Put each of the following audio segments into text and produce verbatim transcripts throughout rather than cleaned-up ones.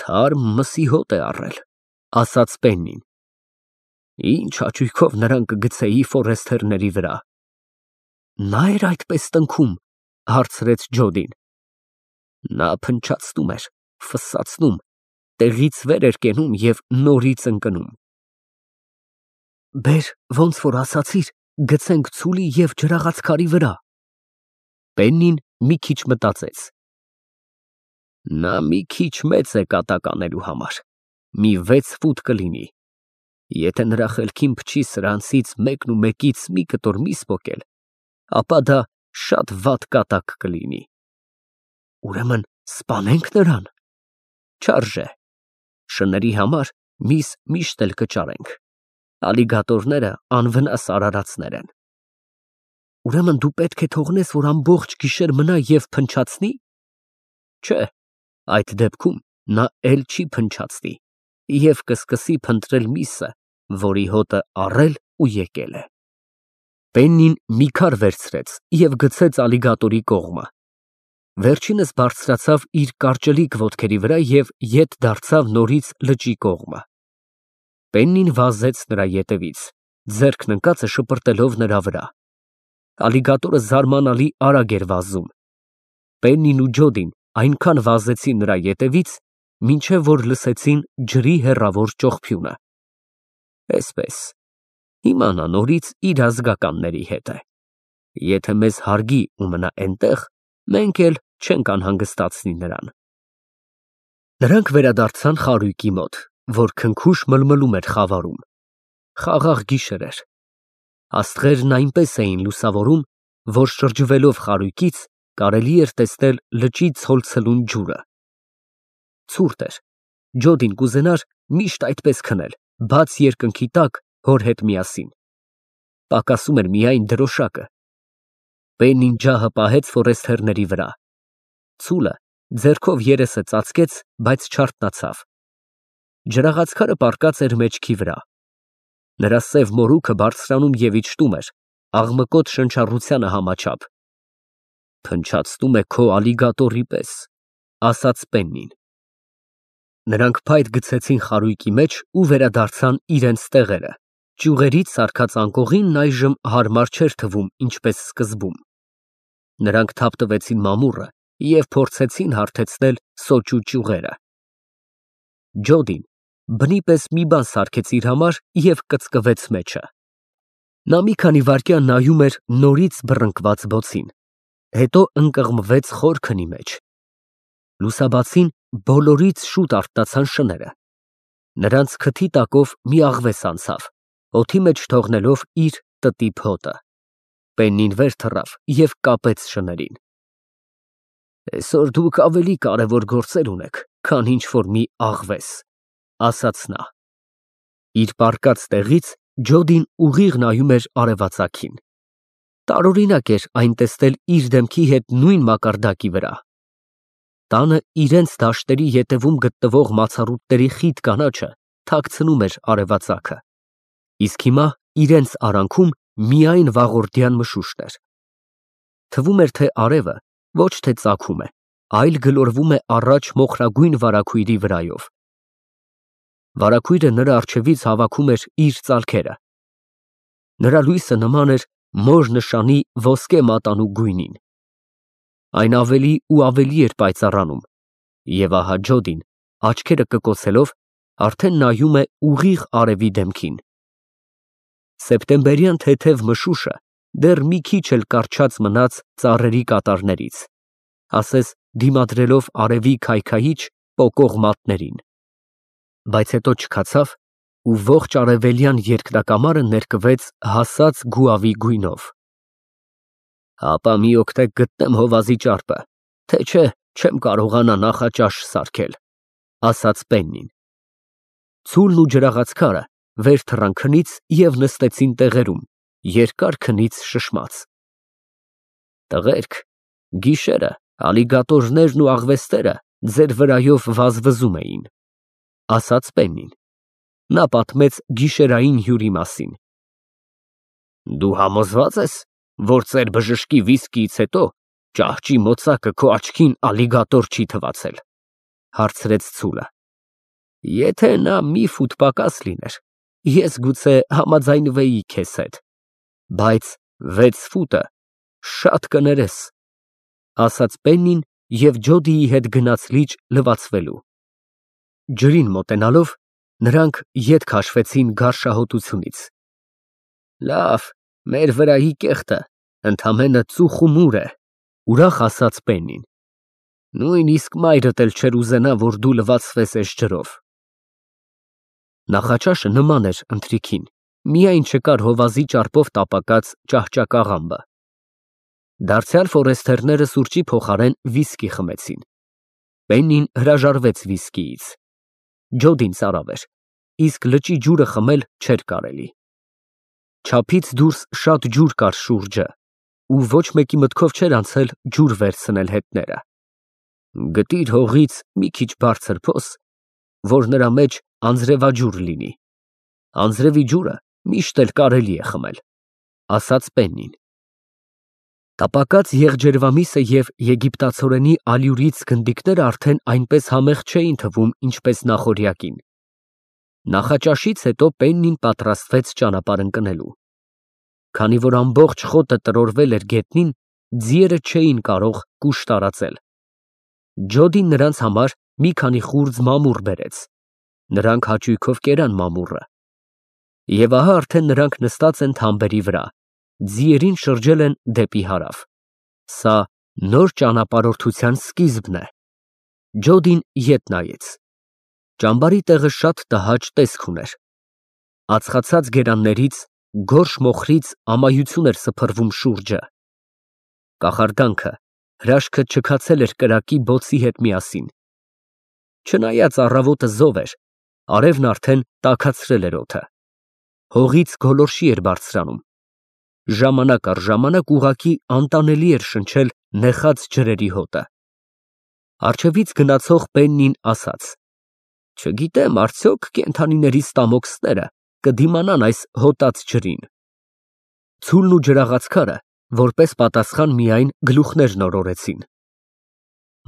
Թարմ մսի հոտ է առել, ասաց Պեննին։ Ինչ հաճույքով նրան կգցեի Ֆորեստերների վրա։ Նա էր այդպես տնքում, հարցրեց Ջոդին։ Նա փնչացնում էր, ֆսսացնում, տեղից վեր էր կենում և նորից ընկնում։ Բեր, ոնց որ ասացիր, գցենք ցուլի և ջրաղացքարի վրա։ Պեննին մի քիչ մտածեց։ Նա մի քիչ մեծ է կատակ անելու համար, մի վեց ֆուտ կլինի, եթե նրա խելքին փչի սրանցից մեկնումեկից մի կտոր միս պոկել, ապա դա շատ վատ կատակ կլինի։ Ուրեմն սպանե՞նք նրան։ Չարժե, շների համար միս միշտ էլ կճարենք, ալիգատորները անվնաս արարածներ են։ Ուրեմն դու պետք է թողնես, որ ամբողջ գիշեր մնա և փնչացնի։ Չէ, այդ դեպքում նա էլ չի փնչացնի և կսկսի փնտրել միսը, որի հոտը առել ու եկել է։ Պեննին մի քար վերցրեց և գցեց ալիգատորի կողմը։ Վերջինս բարձրացավ իր կարճլիկ ոտքերի վրա և ետ դարձավ նորից լճի կողմը։ Պեննին վազեց նրա ետևից, ձեռքն ընկածը շպրտելով նրա վրա։ Ալիգատորը զարմանալի արագ էր վազում։ Պեննին ու Ջոդին այնքան վազեցին նրա ետևից, մինչև որ լսեցին ջրի հեռավոր ճողփյունը։ Էսպես, հիմա նա նորից իր ազգականների հետ է։ Եթե մեզ հարգի ու մնա էնտեղ, մենք էլ չենք անհանգստացնի նրան։ Նրանք վերադարձան խարույկի մոտ, որ քնքուշ մլմլում էր խավարում։ Խաղաղ գիշեր էր։ Աստղերն այնպես էին լուսավորում, որ շրջվելով խարույկից կարելի էր տեսնել լճի ցոլցլուն ջուրը։ Ցուրտ էր։ Ջոդին կուզենար միշտ այդպես քնել, բաց երկնքի տակ հոր հետ միասին։ Պակասում էր միայն դրոշակը։ Պեննին ջահը պահեց Ֆորեստերների վրա։ Ցուլը ձեռքով երեսը ծածկեց, բայց չարթնացավ։ Ջրաղացքարը պառկած էր մեջքի վրա։ Նրա սև մորուքը բարձրանում և իջնում էր, աղմկոտ շնչառությանը համաչափ։ Փնչացնում է քո ալիգատորի պես, ասաց Պեննին։ Նրանք փայտ գցեցին խարույկի մեջ ու վերադարձան իրենց տեղերը։ Ճյուղերից սարքած անկողինն այժմ հարմար չէր թվում, ինչպես սկզբում։ Նրանք թափտվեցին մամուռը և փորձեցին հարթեցնել սոճու ճյուղերը։ Ջոդին բնի պես մի բան սարքեց իր համար և կծկվեց մեջը։ Նա մի քանի վայրկյան նայում էր նորից բռնկված բոցին, հետո ընկղմվեց խոր քնի մեջ։ Լուսաբացին բոլորից շուտ արթնացան շները։ Նրանց քթի տակով մի աղվես անցավ, օդի մեջ թողնելով իր տտիպ հոտը։ Պեննին վեր թռավ և կապեց շներին։ Այսօր դուք ավելի կարևոր գործեր ունեք, քան ինչ֊որ մի աղվես, ասաց նա։ Իր պառկած տեղից Ջոդին ուղիղ նայում էր արևածագին։ Տարօրինակ էր այն տեսնել իր դեմքի հետ նույն մակարդակի վրա։ Տանը իրենց դաշտերի ետևում գտնվող մացառուտների խիտ կանաչը թաքցնում էր արևածագը, իսկ հիմա իրենց արանքում միայն վաղորդյան մշուշտ էր։ Թվում էր, թե արևը ոչ թե ծագում է, այլ գլորվում է առաջ մոխրագույն վարագույրի վրայով։ Վարագույրը նրա առջևից հավաքում էր իր ծալքերը։ Նրա լույսը նման էր մոր նշանի ոսկե մատանու գույնին։ Այն ավելի ու ավելի էր պայծառանում, և ահա Ջոդին, աչքերը կկոցելով, արդեն նայում է ուղիղ արևի դեմքին։ Սեպտեմբերյան թեթև մշուշը դեռ մի քիչ էլ կառչած մնաց ծառերի կատարներից, ասես դիմադրելով արևի քայքայիչ, պոկող մատներին։ Բայց հետո չքացավ ու ողջ արևելյան երկնակամարը ներկվեց հասած գուավի գույնով։ Հապա մի օգտեք գտնեմ հովազի ճարպը, թե չէ չեմ կարողանա նախաճաշ սարքել, ասաց Պեննին։ Ցուլն ու ջրաղացքարը վեր թռան քնից և նստեցին տեղերում, երկար քնից շշմած։ Տղերք, գիշերը ալիգատորներն ու աղվեսները ձեր վրայով վազվզում էին, ասաց Պեննին։ Նա պատմեց գիշերային հյուրի մասին։ Դու համոզվա՞ծ ես, որ ծեր բժշկի վիսկիից հետո ճահճի մոծակը քո աչքին ալիգատոր չի թվացել, հարցրեց ցուլը։ Եթե նա մի ֆուտ պակաս լիներ, ես գուցե համաձայնվեի քեզ հետ, բայց վեց ֆուտը շատ կներես, ասաց Պեննին և Ջոդիի հետ գնաց լիճ լվացվելու։ Ջրին մոտենալով, նրանք ետ քաշվեցին գարշահոտությունից։ Լավ, մեր վրայի կեղտը ընդամենը ծուխ ու մուր է, ուրախ ասաց Պեննին։ Նույնիսկ մայրդ էլ չէր ուզենա, որ դու լվացվես էս ջրով։ Նախաճաշը նման էր ընթրիքին, միայն չկար հովազի ճարպով տապակած ճահճակաղամբը։ Դարձյալ ֆորեստերները սուրճի փոխարեն վիսկի խմեցին։ Պեննին հրաժարվեց վիսկիից։ Ջոդին ծարավ էր, իսկ լճի ջուրը խմել չէր կարելի։ Չափից դուրս շատ ջուր կար շուրջը, ու ոչ մեկի մտքով չէր անցել ջուր վերցնել հետները։ Գտիր հողից մի քիչ բարձր փոս, որ նրա մեջ անձրևաջուր լինի։ Անձրևի ջուրը միշտ էլ կարելի է խմել, ասաց Պեննին։ Տապակած եղջերվամիսը և եգիպտացորենի ալյուրից գնդիկները արդեն այնպես համեղ չէին թվում, ինչպես նախօրյակին։ Նախաճաշից հետո Պեննին պատրաստվեց ճանապարհ ընկնելու։ Քանի որ ամբողջ խոտը տրորվել էր գետնին, ձիերը չէին կարող կուշ տարածել։ Ջոդին նրանց համար մի քանի խուրձ մամուռ բերեց։ Նրանք հաճույքով կերան մամուռը։ Եվ ահա արդեն նրանք նստած են թամբերի վրա, ձիերին շրջել են դեպի հարավ։ Սա նոր ճանապարհորդության սկիզբն է։ Ջոդին ետ նայեց։ Ճամբարի տեղը շատ տհաճ տեսք ուներ։ Ածխացած գերաններից, գորշ մոխրից ամայություն էր սփռվում շուրջը։ Կախարդանքը, հրաշքը չքացել էր կրակի բոցի հետ միասին։ Չնայած առավոտը զով էր, արևն արդեն տաքացրել էր օդը։ Հողից գոլորշի էր բարձրանում։ Ժամանակ առ ժամանակ ուղղակի անտանելի էր շնչել նեխած ջրերի հոտը։ Առջևից գնացող Պեննին ասաց. Չգիտեմ, արդյոք կենդանիների ստամոքսները կդիմանան այս հոտած ջրին։ Ցուլն ու ջրաղացքարը որպես պատասխան միայն գլուխներն օրորեցին։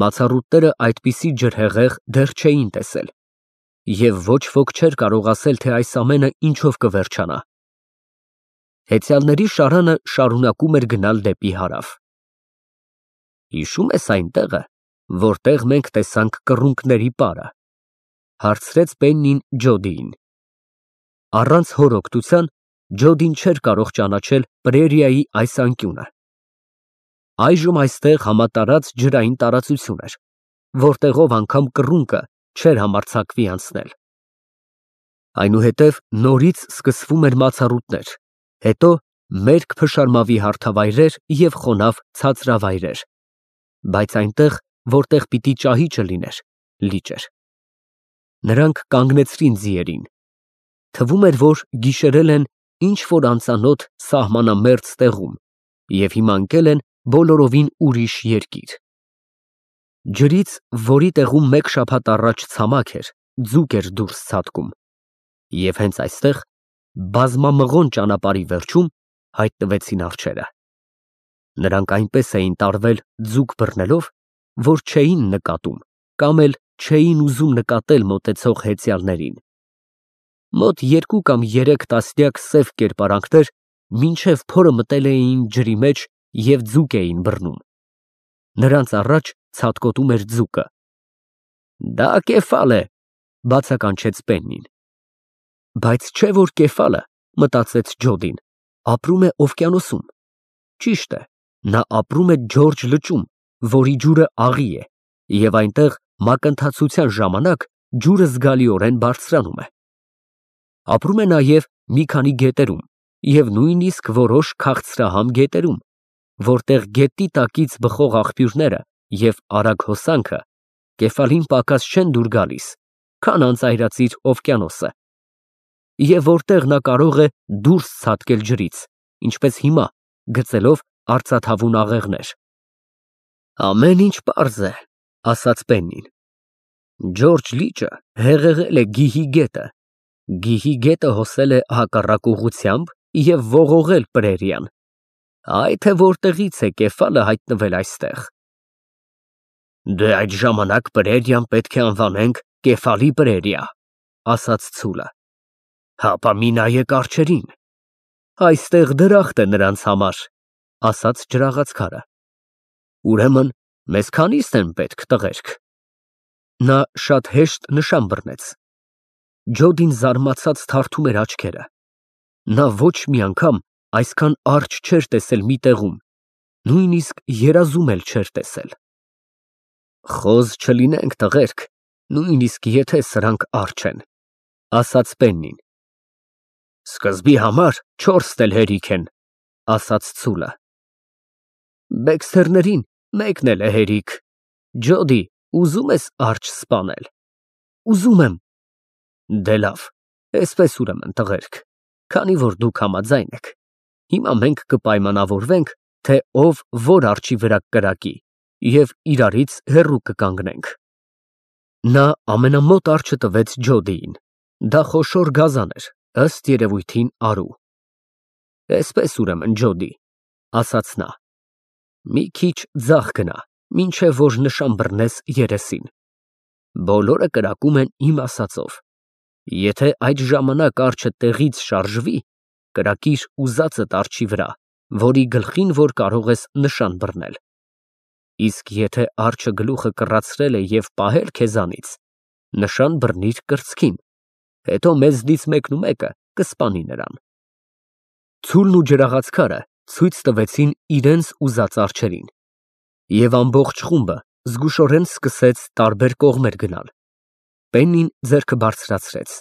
Մացառուտները այդպիսի ջրհեղեղ դեռ չէին տեսել, և ոչ ոք չէր կարող ասել, թե այս ամենը ինչով կվերջանա։ Հեծյալների շարանը շարունակում էր գնալ դեպի հարավ։ Հիշո՞ւմ ես այն տեղը, որտեղ մենք տեսանք կռունկների պարը, հարցրեց Պեննին Ջոդիին։ Առանց հոր օգնության Ջոդին չէր կարող ճանաչել պրերիայի այս անկյունը։ Այժմ այստեղ համատարած ջրային տարածություն էր, որտեղով անգամ կռունկը չէր համարձակվի անցնել։ Այնուհետև նորից սկսվում էր մացառուտներ, հետո մերկ փշարմավի հարթավայրեր և խոնավ ցածրավայրեր, բայց այնտեղ, որտեղ պիտի ճահիճը լիներ, լիճ էր։ Նրանք կանգնեցրին ձիերին։ Թվում էր, որ գիշերել են ինչ-որ անծանոթ սահմանամերձ տեղում և հիմա ընկել են բոլորովին ուրիշ երկիր։ Ջրից, որի տեղում մեկ շաբաթ առաջ ցամաք էր, ձուկ էր դուրս ցատկում, և հենց այստեղ, բազմամղոն ճանապարհի վերջում, հայտնվեցին արջերը։ Նրանք այնպես էին տարվել ձուկ բռնելով, որ չէին նկատում կամ էլ չէին ուզում նկատել մոտեցող հեծյալներին։ Մոտ երկու կամ երեք տասնյակ սև կերպարանքներ մինչև փորը մտել էին ջրի մեջ և ձուկ էին բռնում։ Նրանց առաջ ցատկոտում էր ձուկը։ Դա կեֆալ է, բացականչեց Պեննին։ Բայց չէ որ կեֆալը, մտածեց Ջոդին, ապրում է օվկիանոսում։ Ճիշտ է, նա ապրում է Ջորջը լճում, որի ջուրը աղի է, և այնտեղ մակընթացության ժամանակ ջուրը զգալիորեն բարձրանում է։ Ապրում է նաև մի քանի գետերում և նույնիսկ որոշ քաղցրահամ գետերում, որտեղ գետի տակից բխող աղբյուրները և արագ հոսանքը կեֆալին պակաս չեն դուր գալիս, քան անծայրածիր օվկիանոսը, և որտեղ նա կարող է դուրս ցատկել ջրից, ինչպես հիմա, գծելով արծաթավուն աղեղներ։ Ամեն ինչ պարզ է, ասաց Պեննին։ Ջորջ լիճը հեղեղել է Գիհի գետը, Գիհի գետը հոսել է հակառակ ուղղությամբ և ողողել պրերիան, այ թե որտեղից է կեֆալը հայտնվել այստեղ։ Դե այդ ժամանակ պրերիան պետք է անվանենք Կեֆալի պրերիա, ասաց ցուլը։ Հապա մի նայեք արջերին։ Այստեղ դրախտ է նրանց համար, ասաց ջրաղացքարը։ Ուրեմն մեզ քանիստ են պետք, տղերք։ Նա շատ հեշտ նշան բռնեց։ Ջոդին զարմացած թարթում էր աչքերը։ Նա ոչ մի անգամ այսքան արջ չէր տեսել մի տեղում, նույնիսկ երազում էլ չէր տեսել։ Խոզ չլինենք, տղերք, նույնիսկ եթե սրանք արջ են, ասաց Պեննին։ Սկզբի համար չորսն էլ հերիք են, ասաց ցուլը։ Բեքսթերներին մեկն էլ է հերիք։ Ջոդի, ուզում ես արջ սպանել։ Ուզում եմ։ Դե լավ, այսպես ուրեմն, տղերք, քանի որ դուք համաձայն եք, հիմա մենք կպայմանավորվենք, թե ով որ արջի վրա կրակի և իրարից հեռու կկանգնենք։ Նա ամենամոտ արջը տվեց Ջոդիին, դա խոշոր գազան էր, ըստ երևույթին արու։ Այսպես ուրեմն, Ջոդի, ասաց նա, մի քիչ ձախ գնա, մինչև որ նշան բռնես երեսին։ Բոլորը կրակում են իմ ասածով։ Եթե այդ ժամանակ արջը տեղից շարժվի, կրակիր ուզածդ արջի վրա, որի գլխին որ կարող ես նշան բռնել։ Իսկ եթե արջը գլուխը կռացրել է և պահել քեզանից, նշան բռնիր կրծքին, հետո մեզնից մեկնումեկը կսպանի նրան։ Ցուլն ու ջրաղացքարը ցույց տվեցին իրենց ուզած արջերին, և ամբողջ խումբը զգուշորեն սկսեց տարբեր կողմեր գնալ։ Պեննին ձեռքը բարձրացրեց,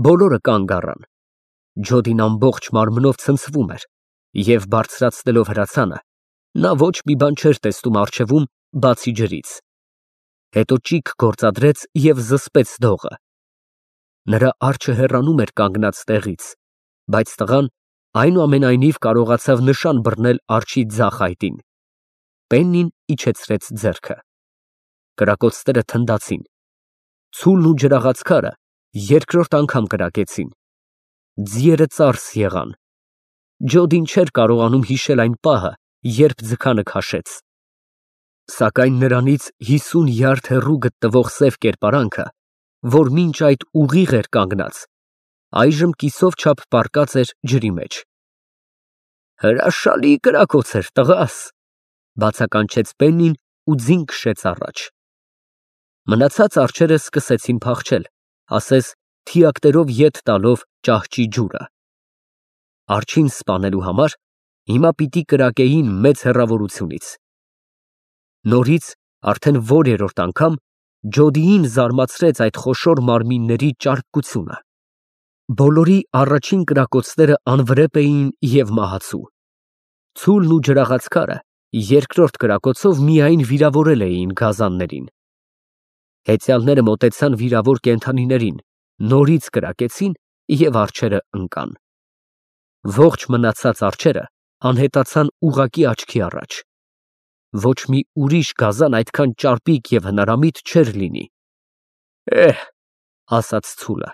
բոլորը կանգ առան։ Ջոդին ամբողջ մարմնով ցնցվում էր, և բարձրացնելով հրացանը, նա ոչ մի բան չէր տեսնում առջևում, բացի ջրից։ Հետո ճիգ գործադրեց և զսպեց դողը։ Նրա արջը հեռանում էր կանգնած տեղից, բայց տղան այնուամենայնիվ կարողացավ նշան բռնել արջի ձախ այտին։ Պեննին իջեցրեց ձեռքը։ Կրակոցները թնդացին։ Ցուլն ու ջրաղացքարը երկրորդ անգամ կրակեցին։ Ձիերը ծարս եղան։ Ջոդին չէր կարողանում հիշել այն պահը, երբ ձգանը քաշեց։ Սակայն նրանից հիսուն յարդ հեռու գտնվող սև կերպարանքը, որ մինչ այդ ուղիղ էր կանգնած, այժմ կիսով չափ պառկած էր ջրի մեջ։ Հրաշալի կրակոց էր, տղաս, բացականչեց Պեննին ու ձին քշեց առաջ։ Մնացած արջերը սկսեցին փախչել, ասես թիակներով ետ տալով ճահճի ջուրը։ Արջին սպանելու համար հիմա պիտի կրակեին մեծ հեռավորությունից։ Նորից արդեն որերորդ անգամ Ջոդիին զարմացրեց այդ խոշոր մարմինների ճարպկությունը։ Բոլորի առաջին կրակոցները անվրեպ էին և մահացու։ Ցուլն ու ջրաղացքարը երկրորդ կրակոցով միայն վիրավորել էին գազաններին։ Հեծյալները մոտեցան վիրավոր կենդանիներին, նորից կրակեցին և արջերը ընկան։ Ողջ մնացած արջերը անհետացան ուղղակի աչքի առաջ։ Ոչ մի ուրիշ գազան այդքան ճարպիկ և հնարամիտ չէր լինի։ Էհ, ասաց ցուլը,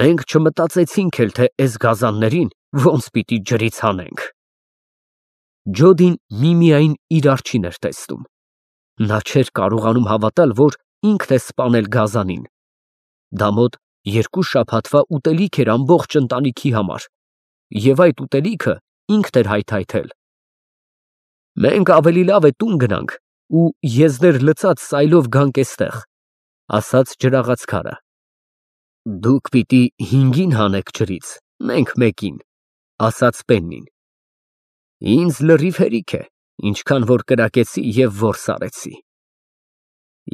մենք չմտածեցինք էլ, թե էս գազաններին ոնց պիտի ջրից հանենք։ Ջոդին միմիայն իր արջին էր տեսնում։ Նա չէր կարողանում հավատալ, որ ինքն է սպանել գազանին։ Դա մոտ երկու շաբաթվա ուտելիք էր ամբողջ ընտանիքի համար, և այդ ուտելիքը ինքն էր հայթայթել։ Մենք ավելի լավ է տուն գնանք ու եզներ լցած սայլով գանք էստեղ, ասաց ջրաղացքարը։ Դուք պիտի հինգին հանեք ջրից, մենք մեկին, ասաց Պեննին։ Ինձ լրիվ հերիք է, ինչքան որ կրակեցի և որս արեցի։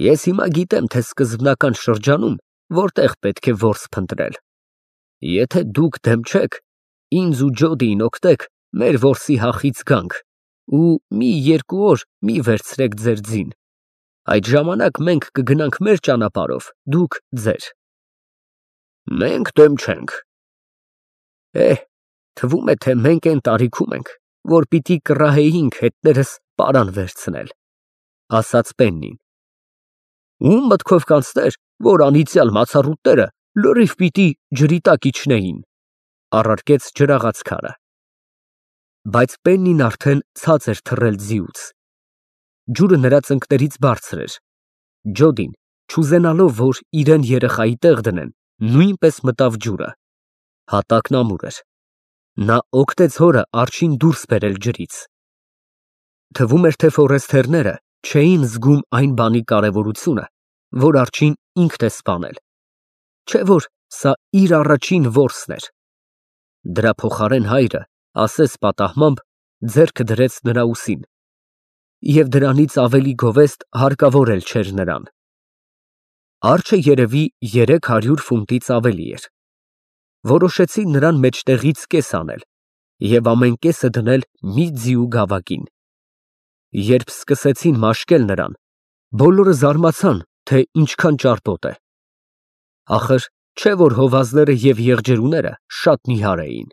Ես հիմա գիտեմ, թե սկզբնական շրջանում որտեղ պետք է որս փնտրել։ Եթե դուք դեմ չեք, ինձ ու Ջոդիին օգնեք մեր որսի հախից գանք ու մի երկու օր մի վերցրեք ձեր ձին։ Այդ ժամանակ մենք կգնանք մեր ճանապարհով, դուք ձեր։ Մենք դեմ չենք։ Էհ, թվում է, թե մենք այն տարիքում ենք, որ պիտի կռահեինք հետներս պարան վերցնել, ասաց Պեննին։ Ում մտքով կանցներ, որ անիծյալ մացառուտները լրիվ պիտի ջրի տակ իջնեին, առարկեց ջրաղացքարը։ Բայց Պեննին արդեն ցած էր թռել ձիուց։ Ջուրը նրա ծնկներից բարձր էր։ Ջոդին չուզենալով, որ իրեն երեխայի տեղ դնեն, նույնպես մտավ ջուրը։ Հատակն ամուր էր։ Նա օգտեց հորը արջին դուրս բերել ջրից։ Թվում էր, թե ֆորեստերները չէին զգում այն բանի կարևորությունը, որ արջին ինքն է սպանել, չէ՞ որ սա իր առաջին որսն էր։ Դրա փոխարեն հայրը, ասես պատահմամբ, ձեռքը դրեց նրա ուսին, և դրանից ավելի գովեստ հարկավոր էլ չէր նրան։ Արջը երևի երեք հարյուր ֆունտից ավելի էր։ Որոշեցին նրան մեջտեղից կես անել և ամեն կեսը դնել մի ձիու գավակին։ Երբ սկսեցին մաշկել նրան, բոլորը զարմացան, թե ինչքան ճարպոտ է։ Ախր չէ՞ որ հովազները և եղջերուները շատ նիհար էին։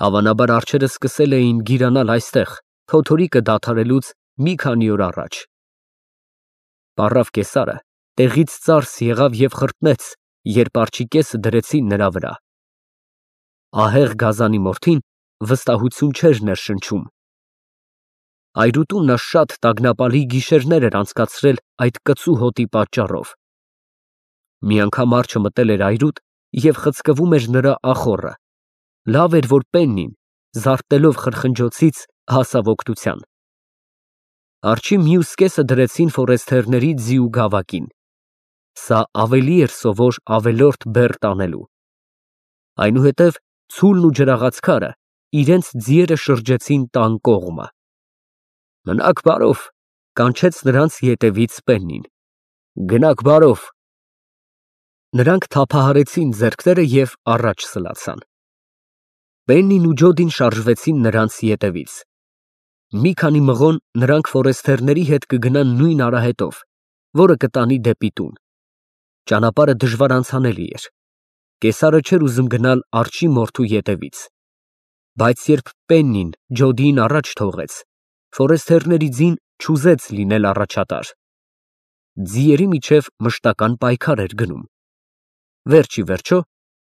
Հավանաբար արջերը սկսել էին գիրանալ այստեղ փոթորիկը դադարելուց մի քանի օր առաջ։ Պառավ կեսարը տեղից ծարս եղավ և խրտնեց, երբ արջի կեսը դրեցին նրա վրա։ Ահեղ գազանի մորթին վստահություն չէր ներշնչում։ Այրուտում նա շատ տագնապալի գիշերներ էր անցկացրել այդ կծու հոտի պատճառով։ Մի անգամ արջը մտել էր այրուտ և խցկվում էր նրա ախոռը, լավ էր, որ Պեննին, զարթնելով խրխնջոցից, հասավ օգնության։ Արջի մյուս կեսը դրեցին ֆորեստերների ձիու գավակին։ Սա ավելի էր սովոր ավելորդ բեռ տանելու։ Այնուհետև ցուլն ու ջրաղացքարը իրենց ձիերը շրջեցին տան կողմը։ Մնաք բարով, կանչեց նրանց ետևից Պեննին։ Գնաք բարով։ Նրանք թափահարեցին ձեռքները և առաջ սլացան։ Պեննին ու Ջոդին շարժվեցին նրանց ետևից։ Մի քանի մղոն նրանք ֆորեստերների հետ կգնան նույն արահետով, որը կտանի դեպի տուն։ Ճանապարհը դժվար անցանելի էր։ Կեսարը չէր ուզում գնալ արջի մորթու ետևից։ Բայց երբ Պեննին Ջոդիին առաջ թողեց, ֆորեստերների ձին չուզեց լինել առաջատար։ Ձիերի միջև մշտական պայքար էր գնում։ Վերջ ի վերջո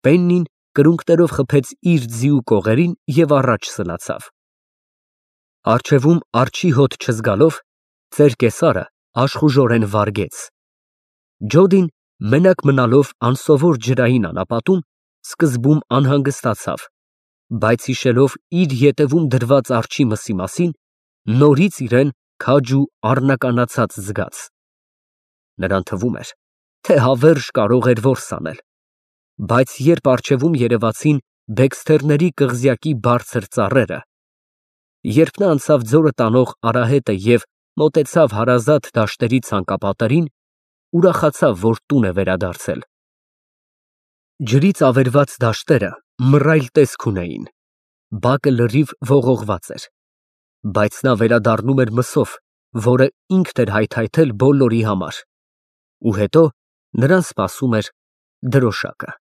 Պեննին կրունկներով խփեց իր ձիու կողերին և առաջ սլացավ։ Առջևում արջի հոտ չզգալով, ծեր կեսարը աշխուժորեն վարգեց։ Ջոդին, մենակ մնալով անսովոր ջրային անապատում, սկզբում անհանգստացավ, բայց հիշելով իր ետևում դրված արջի մսի մասին, նորից իրեն քաջ ու առնականացած զգաց։ Նրան թվում էր, թե հավերժ կարող էր որս անել, բայց երբ առջևում երևացին բեքսթերների կղզյակի բարձր ծառերը, երբ նա անցավ ձորը տանող արահետը և մոտեցավ հարազատ դաշտերի ցանկապատերին, ուրախացավ, որ տուն է վերադարձել։ Ջրից ավերված դաշտերը մռայլ տեսք ունեին, բակը լրիվ ողողված էր, բայց նա վերադառնում էր մսով, որը ինքն էր հայթայթել բոլորի համար, ու հետո նրան սպասում էր դրոշակը։